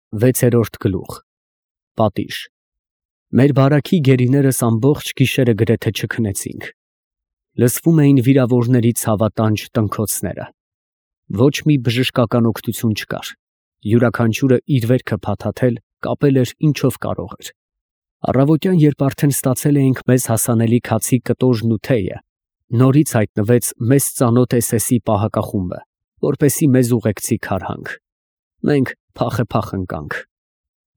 Վեցերորդ գլուխ Պատիժ Մեր բարաքի գերիներս ամբողջ գիշերը գրեթե չքնեցինք. լսվում էին վիրավորների ցավատանջ տնքոցները. ոչ մի բժշկական օգնություն չկար, յուրաքանչյուրը իր վերքը փաթաթել, կապել էր ինչով կարող էր. առավոտյան, երբ արդեն ստացել էինք մեզ հասանելի քացի կտորն ու թեյը, նորից հայտնվեց մեզ ծանոթ SS-ի պահակախումբը, որպեսզի մեզ ուղեկցի Քարհանգ. մենք փախ ընկանք։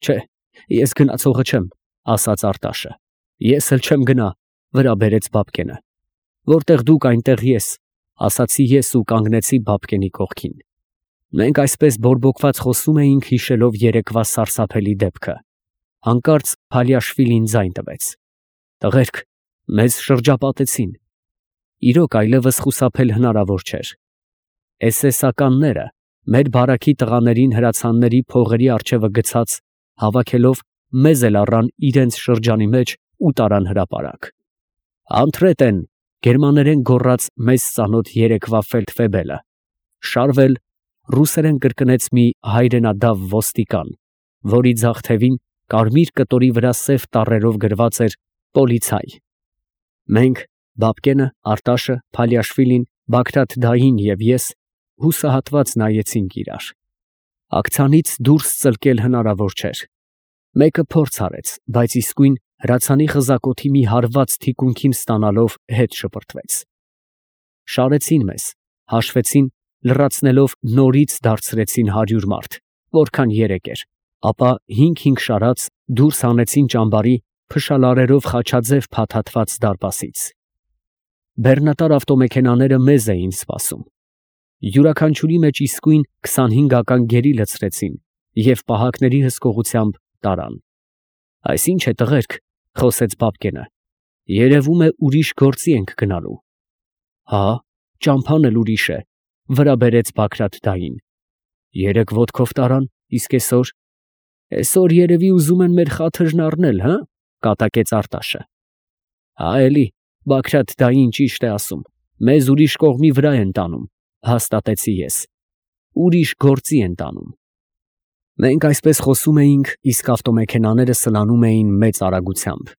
Չէ, ես գնացողը չեմ, ասաց Արտաշը։ Ես էլ չեմ գնա, վրա բերեց Բաբկենը։ Որտեղ դուք, այնտեղ ես, ասացի ես ու կանգնեցի Բաբկենի կողքին։ Մենք այսպես բորբոքված խոսում էինք, հիշելով երեկվա սարսափելի դեպքը։ Հանկարծ Փալիաշվիլին ձայն տվեց. տղերք, մեզ շրջապատեցին։ Իրոք այլևս խուսափել հնարավոր չէր։ SS-ականները մեր բարաքի տղաներին հրացանների փողերի առջևը գցած, հավաքելով, մեզ էլ առան իրենց շրջանի մեջ ու տարան հրապարակ։ Անթրետ են, գերմաներեն գոռաց մեզ ծանոթ երեկվա ֆելդֆեբելը։ Շարվել, ռուսերեն կրկնեց մի հայրենադավ ոստիկան, որի ձախ թևին կարմիր կտորի վրա սև տառերով գրված էր «Պոլիցայ»։ Մենք, Բաբկենը, Արտաշը, Փալիաշվիլին, Բագրատ-դային և ես հուսահատված նայեցինք իրար։ Ակցանից դուրս ծլկել հնարավոր չէր։ Մեկը փորձ արեց, բայց իսկույն հրացանի խզակոթի մի հարված թիկունքին ստանալով հետ շպրտվեց։ Շարեցին մեզ, հաշվեցին, լրացնելով նորից դարձրեցին 100 մարդ, որքան երեկ էր, ապա 5-5 շարած դուրս հանեցին ճամբարի փշալարերով խաչաձև փաթաթված դարպասից։ Բեռնատար ավտոմեքենաները մեզ էին սպասում։ Յուրաքանչյուրի մեջ իսկույն 25-ական գերի լցրեցին և պահակների հսկողությամբ տարան։ Այս ի՞նչ է, տղերք, խոսեց Բաբկենը, երևում է ուրիշ գործի ենք գնալու։ Հա, ճամփան էլ ուրիշ է, վրա բերեց Բագրատ-դային։ Երեկ ոտքով տարան, իսկ այսօր երևի ուզում են մեր խաթրն առնել, հը, կատակեց Արտաշը։ Հա էլի, Բագրատ-դային ճիշտ է ասում, մեզ ուրիշ կողմի վրա են տանում, հաստատեցի ես, ուրիշ գործի են տանում։ Մենք այսպես խոսում էինք, իսկ ավտոմեքենաները սլանում էին մեծ արագությամբ։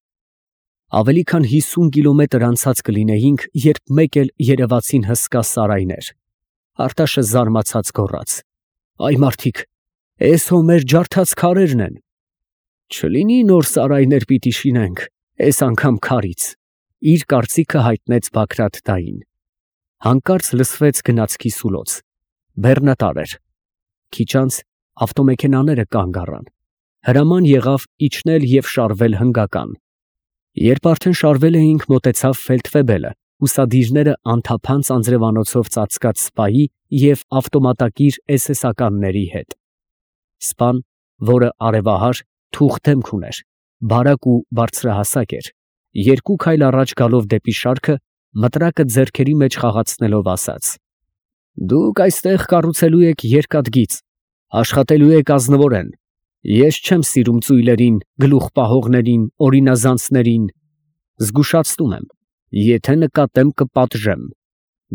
Ավելի քան 50 կիլոմետր անցած կլինեինք, երբ մեկ էլ երևացին հսկա սարայներ։ Արտաշը զարմացած գոռաց. Այ մարդիկ, էս հո մեր ջարդած քարերն են։ Չլինի նոր սարայներ պիտի շինենք, էս անգամ քարից, իր կարծիքը հայտնեց Բագրատ-դային։ Հանկարծ լսվեց գնացքի սուլոց։ Բեռնատար էր։ Քիչ անց ավտոմեքենաները կանգ առան։ Հրաման եղավ իջնել և շարվել հնգական։ Երբ արդեն շարվել էինք, մոտեցավ ֆելդֆեբելը, ուսադիրները անթափանց անձրևանոցով ծածկած սպայի և ավտոմատակիր SS-ականների հետ։ Սպան, որը արևահար, թուխ դեմք ուներ, բարակ ու բարձրահասակ էր, երկու քայլ առաջ գալով դեպի շարքը, մտրակը ձեռքերի մեջ խաղացնելով ասաց. Դուք այստեղ կառուցելու եք երկաթգիծ, աշխատելու եք ազնվորեն, ես չեմ սիրում ծույլերին, գլուխպահողներին, օրինազանցներին, զգուշացնում եմ, եթե նկատեմ կպատժեմ,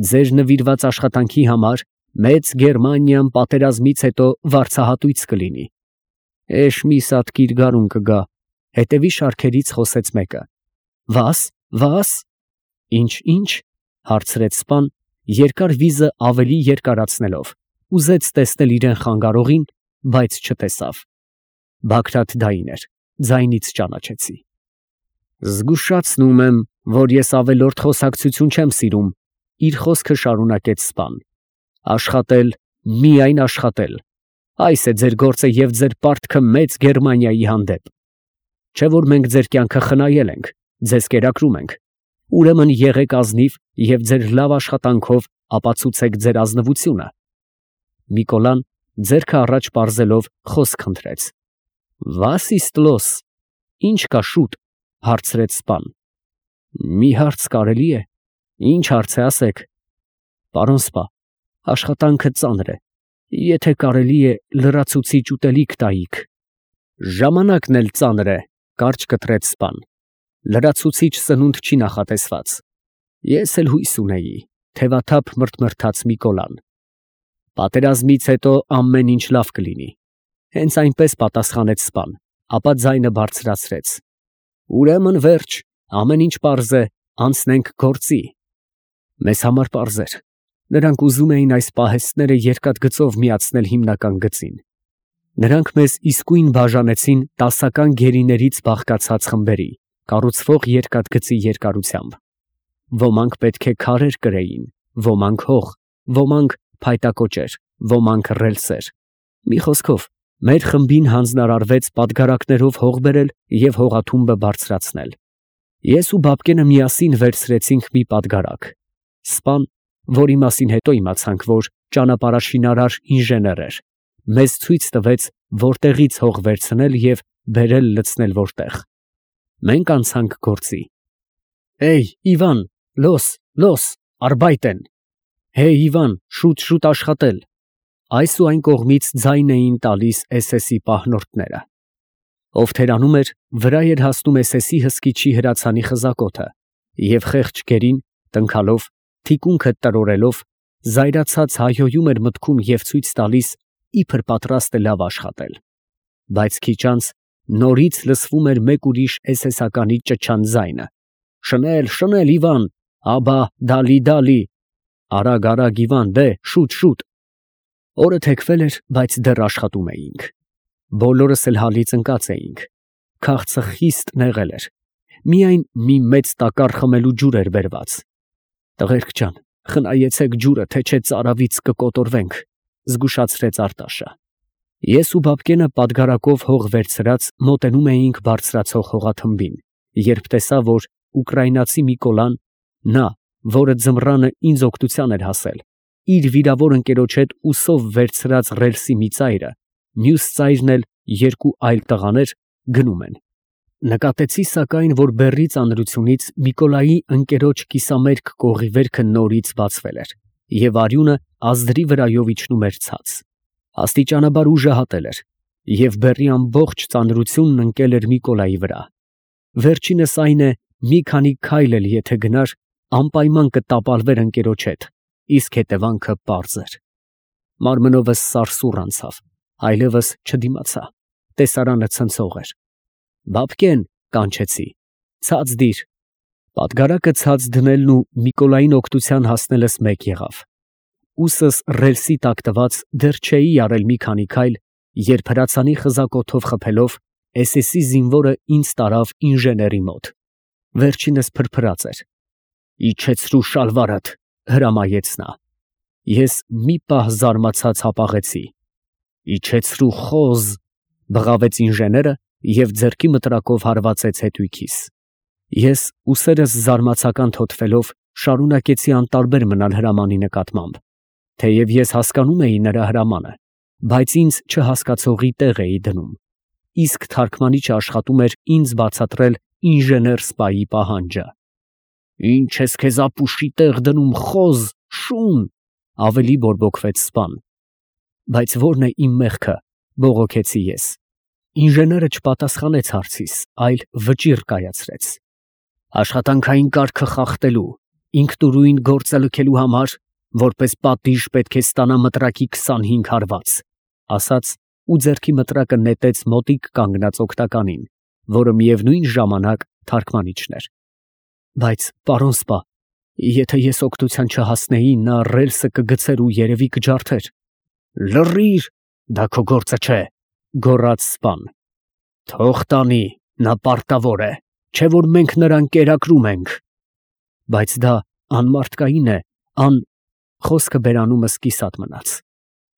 ձեր նվիրված աշխատանքի համար մեծ Գերմանիան պատերազմից հետո վարձահատույց կլինի։ Էշ մի սատկիր գարուն կգա, հետևի շարքերից խոսեց մեկը։ Վաս։ Ինչ, հարցրեց սպան, երկար վիզը ավելի երկարացնելով, ուզեց տեսնել իրեն խանգարողին, բայց չտեսավ։ Բագրատ-դային էր, ձայնից ճանաչեցի։ Զգուշացնում եմ, որ ես ավելորդ խոսակցություն չեմ սիրում, իր խոսքը շարունակեց սպան։ Աշխատել, միայն աշխատել։ Այս է ձեր գործը և ձեր պարտքը մեծ Գերմանիայի հանդեպ։ Չէ որ մենք ձեր կյանքը խնայել ենք, ձեզ կերակրում ենք, ուրեմն եղեք ազնիվ և ձեր լավ աշխատանքով ապացուցեք ձեր ազնվությունը։ Նիկոլան ձեռքը առաջ պարզելով խոսք խնդրեց։ Վաս իստ լոս, ինչ կա շուտ, հարցրեց սպան։ Մի հարց կարելի է։ Ինչ հարց է, ասեք։ Պարոն սպա, աշխատանքը ծանր է, եթե կարելի է լրացուցիչ ուտելիք տայիք։ Ժամանակն էլ ծանր է, կարճ կտրեց սպան։ Լրացուցիչ սնունդ չի նախատեսված։ Ես էլ հույս ունեի, թևաթափ մրթմրթաց Նիկոլան։ Պատերազմից հետո ամեն ինչ լավ կլինի։ Հենց այնպես պատասխանեց սպան, ապա ձայնը բարձրացրեց. Ուրեմն վերջ, ամեն ինչ պարզ է, անցնենք գործի։ Մեզ համար պարզ էր։ Նրանք ուզում էին այս պահեստները երկաթգծով միացնել հիմնական գծին։ Նրանք մեզ իսկույն բաժանեցին տասական գերիներից բաղկացած խմբերի, կառուցվող երկաթգծի երկարությամբ։ Ոմանք պետք է քարեր կրեին, ոմանք հող, ոմանք փայտակոճեր, ոմանք ռելսեր։ Մի խոսքով, մեր խմբին հանձնարարվեց պատգարակներով հող բերել և հողաթումբը բարձրացնել։ Ես ու Բաբկենը միասին վերցրեցինք մի պատգարակ։ Սպան, որի մասին հետո իմացանք, որ ճանապարհաշինարար ինժեներ էր, մեզ ցույց տվեց, որտեղից հող վերցնել և բերել լցնել որտեղ։ Մենք անցանք գործի։ Հեյ, Իվան, լոս, արբայտեն։ Հեյ, Իվան, շուտ աշխատել։ Այս ու այն կողմից ձայն էին տալիս SS-ի պահնորդները։ Ով թերանում էր, վրա էր հասնում SS-ի հսկիչի հրացանի խզակոթը, և խեղճ գերին, տնքալով, թիկունքը տրորելով, զայրացած հայհոյում էր մտքում և ցույց տալիս, իբր պատրաստ է լավ աշխատել։ Բայց քիչ անց նորից լսվում էր մեկ ուրիշ SS-ականի ճչան ձայնը. Շնել, Իվան, աբա, դալի։ Արագ, Իվան, դե, շուտ։ Օրը թեքվել էր, բայց դեռ աշխատում էինք։ Բոլորս էլ հալից ընկած էինք։ Քաղցը խիստ նեղել էր։ Միայն մի մեծ տակառ խմելու ջուր էր բերված։ Տղերք ջան, խնայեցեք ջուրը, թե չէ ծարավից կկոտորվենք, զգուշացրեց Արտաշը։ Ես ու Բաբկենը պատգարակով հող վերցրած մոտենում էինք բարձրացող հողաթմբին, երբ տեսա, որ ուկրաինացի Միկոլան, նա, որը ձմռանը ինձ օգնության էր հասել, իր վիրավոր ընկերոջ հետ ուսով վերցրած ռելսի մի ծայրը, մյուս ծայրն էլ երկու այլ տղաներ գնում են։ Նկատեցի սակայն, որ բեռի ծանրությունից Միկոլայի ընկերոջ կիսամերկ կողի վերքը նորից բացվել էր, և արյունը ազդրի վրայով իջնում էր ցած։ Աստիճանաբար ուժը հատել էր, և բեռի ամբողջ ծանրությունն ընկել էր Միկոլայի վրա։ Վերջինս այն է, մի քանի քայլ էլ եթե գնար, անպայման կտապալվեր ընկերոջ հետ, իսկ հետևանքը պարզ էր։ Մարմնովս սարսուռ անցավ, այլևս չդիմացա, տեսարանը ցնցող էր։ Բաբկեն, կանչեցի, ցած դիր։ Պատգարակը ցած դնելն ու Միկոլային օգնության հասնելս մեկ եղավ։ Ուսս ռելսի տակ տված դեռ չէի արել մի քանի քայլ, երբ հրացանի խզակոթով խփելով SS-ի զինվորը ինձ տարավ ինժեների մոտ։ Վերջինս փրփրած էր։ Իջեցրու շալվարդ, հրամայեց նա։ Ես մի պահ զարմացած հապաղեցի։ Իջեցրու խոզ, բղավեց ինժեները և ձեռքի մտրակով հարվածեց հետույքիս։ Ես ուսերս զարմացական թոթվելով շարունակեցի անտարբեր մնալ հրամանի նկատմամբ, թեև ես հասկանում էի նրա հրամանը, բայց ինձ չհասկացողի տեղ էի դնում, իսկ թարգմանիչը աշխատում էր ինձ բացատրել ինժեներ սպայի պահանջը։ Ինչ ես քեզ ապուշի տեղ դնում, խոզ, շուն, ավելի բորբոքվեց սպան։ Բայց ո՞րն է իմ մեղքը, բողոքեցի ես։ Ինժեները չպատասխանեց հարցիս, այլ վճիռ կայացրեց։ Աշխատանքային կարգը խախտելու, ինքնուրույն գործը լքելու համար, որպես պատիժ պետք է ստանա մտրակի 25 հարված, ասաց ու ձեռքի մտրակը նետեց մոտիկ կանգնած օգնականին, որը միևնույն ժամանակ թարգմանիչն էր։ Բայց, պարոն սպա, եթե ես օգնության չհասնեի, նա ռելսը կգցեր ու երևի կջարդեր։ Լռիր, դա քո գործը չէ, գոռաց սպան։ Թող տանի, նա պարտավոր է, չէ որ մենք նրան կերակրում ենք։ Բայց դա անմարդկային է, խոսքը բերանումս կիսատ մնաց։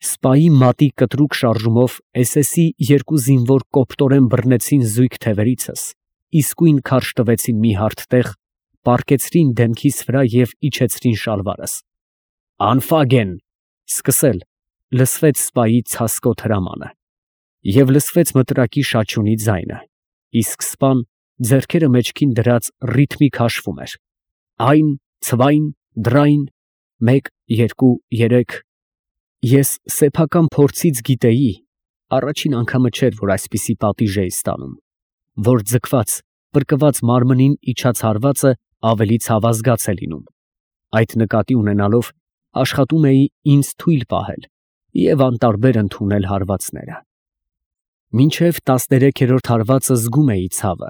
Սպայի մատի կտրուկ շարժումով SS-ի երկու զինվոր կոպտորեն բռնեցին զույգ թևերիցս, իսկույն քարշ տվեցին մի հարթ տեղ, պառկեցրին դեմքիս վրա և իջեցրին շալվարս։ Անֆագեն, սկսել, լսվեց սպայի ցասկոտ հրամանը, և լսվեց մտրակի շաչյունի ձայնը, իսկ սպան ձեռքերը մեջքին դրած ռիթմիկ հաշվում էր. այն, ցվայն, դրայն, 1, 2, 3։ Ես սեփական փորձից գիտեի, առաջին անգամը չէր, որ այսպիսի պատիժ էի ստանում, որ ձգված, պրկված մարմնին իջած հարվածը ավելի ցավազգաց է լինում։ Այդ նկատի ունենալով աշխատում էի ինձ թույլ պահել և անտարբեր ընդունել հարվածները։ Մինչև 13-րդ հարվածը զգում էի ցավը,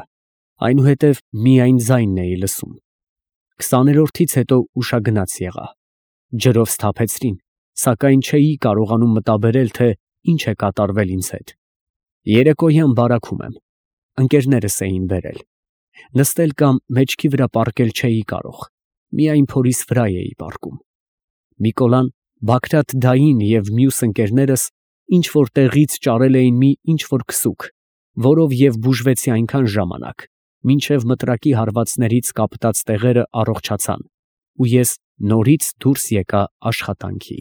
այնուհետև միայն ձայնն էի լսում։ 20-րդից հետո ուշագնաց եղա, ջրով սթափեցրին, սակայն չէի կարողանում մտաբերել, թե ինչ է կատարվել ինձ հետ։ Երեկոյան բարաքում եմ, ընկերներս էին բերել, նստել կամ մեջքի վրա պառկել չէի կարող, միայն փորիս վրա էի պառկում։ Միկոլան, Բագրատ դային և մյուս ընկերներս ինչ֊որ տեղից ճարել էին մի ինչ֊որ քսուք, որով և բուժվեցի այնքան ժամանակ, մինչև մտրակի հարվածներից կապտած տեղերը առողջացան, ու ես նորից դուրս եկա աշխատանքի։